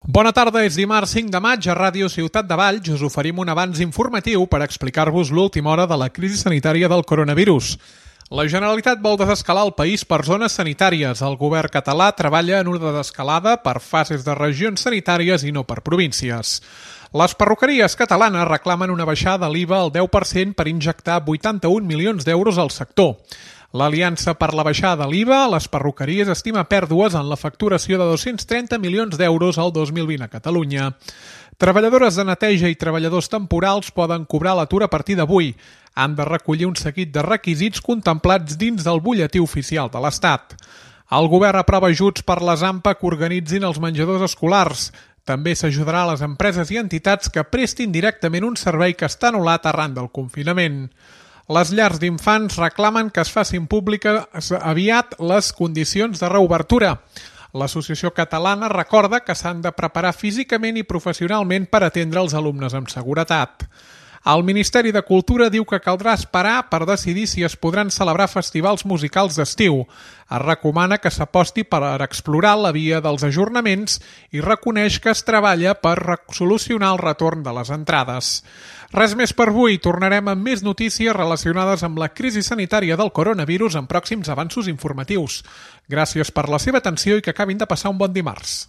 Bona tarda, és dimarts 5 de maig a Ràdio Ciutat de Valls. Us oferim un avanç informatiu per explicar-vos l'última hora de la crisi sanitària del coronavirus. La Generalitat vol desescalar el país per zones sanitàries. El govern català treballa en una desescalada per fases de regions sanitàries i no per províncies. Les perruqueries catalanes reclamen una baixada de l'IVA al 10% per injectar 81 milions d'euros al sector. L'Aliança per la baixada de l'IVA a les perruqueries estima pèrdues en la facturació de 230 milions d'euros al 2020 a Catalunya. Treballadores de neteja i treballadors temporals poden cobrar l'atur a partir d'avui. Han de recollir un seguit de requisits contemplats dins del butlletí oficial de l'Estat. El govern aprova ajuts per les AMPA que organitzin els menjadors escolars. També s'ajudarà a les empreses i entitats que prestin directament un servei que està anul·lat arran del confinament. Les llars d'infants reclamen que es facin públiques aviat les condicions de reobertura. L'Associació Catalana recorda que s'han de preparar físicament i professionalment per atendre els alumnes amb seguretat. El Ministeri de Cultura diu que caldrà esperar per decidir si es podran celebrar festivals musicals d'estiu. Es recomana que s'aposti per explorar la via dels ajornaments i reconeix que es treballa per solucionar el retorn de les entrades. Res més per avui. Tornarem amb més notícies relacionades amb la crisi sanitària del coronavirus en pròxims avanços informatius. Gràcies per la seva atenció i que acabin de passar un bon dimarts.